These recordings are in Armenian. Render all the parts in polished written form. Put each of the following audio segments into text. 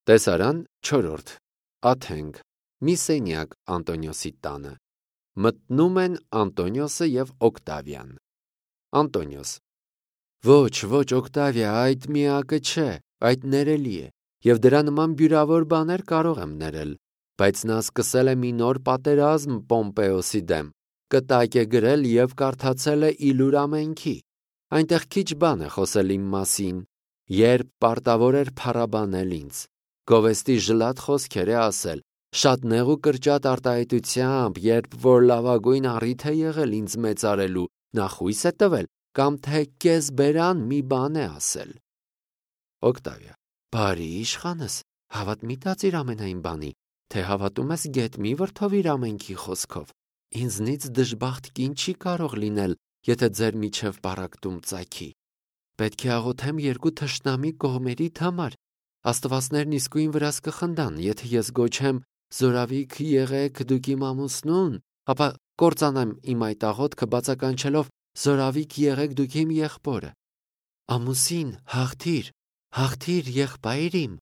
Տեսարան 4. Աթենք, մի սենյակ Անտոնիոսի տանը։ Մտնում են Անտոնիոսը և Օկտավիան։ Անտոնիոս. Ոչ, Օկտավիա, այդ միակը չէ, այդ ներելի է, և դրա նման բյուրավոր բաներ կարող եմ ներել, բայց նա սկսել է մի նոր պատերազմ Պոմպեոսի դեմ, կտակ է գրել և կարդացել է իլուր ամենքի։ Այնտեղ քիչ բան է խոսել իմ մասին, երբ պարտավոր էր փառաբանել ինձ, գովեստի ժլատ խոսքեր է ասել, շատ նեղ ու կրճատ արտահայտությամբ, երբ որ լավագույն առիթ է եղել ինձ մեծարելու, նա խույս է տվել, կամ թե կեսբերան մի բան է ասել։ Օկտավիա. Բարի իշխանս, հավատ մի տածիր ամենայն բանի, թե հավատում ես գետ մի վրդովիր ամենքի խոսքով։ Ինձնից դժբախտ կին չի կարող լինել, եթե ձեր միջև պառակտում ծագի։ Պետք է աղոթեմ երկու թշնամի կողմերիդ համար։ Աստվածներն իսկույն վրաս կխնդան, եթե ես գոչեմ զորավիք եղեք դուք իմ ամուսնուն, ապա կործանեմ իմ այդ աղոթքը բացականչելով զորավիք եղեք դուք իմ եղբորը։ Ամուսին, հաղթիր եղբայր իմ,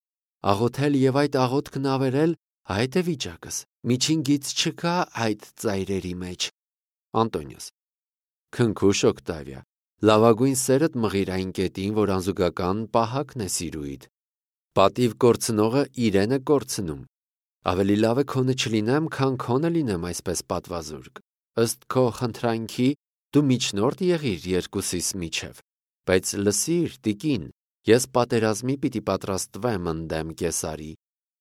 աղոթել և այդ աղոթքն ավերել, այդ է վիճակս, միջին գիծ չկա այդ ծայրերի մեջ։ Անտոնիոս. Քնքուշ Օկտավիա, լավագույն սերդ մղիր այն կետին, որ անզուգական պահակն է սիրուիդ։ Պատիվ կորցնողը իրեն է կորցնում։ Ավելի լավ է քոնը չլինեմ, քան քոնը լինեմ այսպես պատվազուրկ։ Ըստ քո խնդրանքի դու միջնորդ եղիր երկուսիս միջև, բայց լսիր, տիկին, ես պատերազմի պիտի պատրաստվեմ ընդդեմ Կեսարի։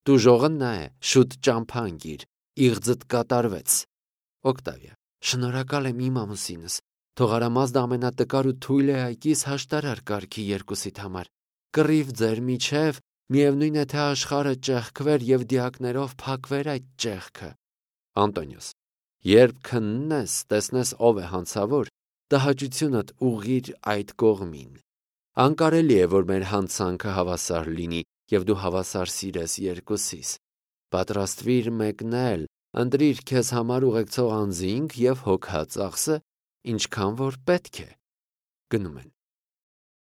Տուժողը նա է, շուտ ճամփա ընկիր, իղձդ կատարվեց։ Օկտավիա. Շնորհակալ եմ իմ ամուսինս, թող արամազդ ամենատկար ու թույլ է այկիս հաշտարար կարգի երկուսիդ համար։ Կռիվ ձեր միջև, միևնույն է թե աշխարհը ճեղքվեր և դիակներով փակվեր այդ ճեղքը։ Անտոնիոս. Երբ քննես, տեսնես ով է հանցավոր, տհաճությունդ ուղղիր այդ կողմին։ Անկարելի է, որ մեր հանցանքը հավասար լինի, և դու հավասար սիրես երկուսիս։ Պատրաստվիր մեկնել, ընտրիր քեզ համար ուղեկցող անձինք և հոգա ծախսը, ինչքան որ պետք է։ Գնում են։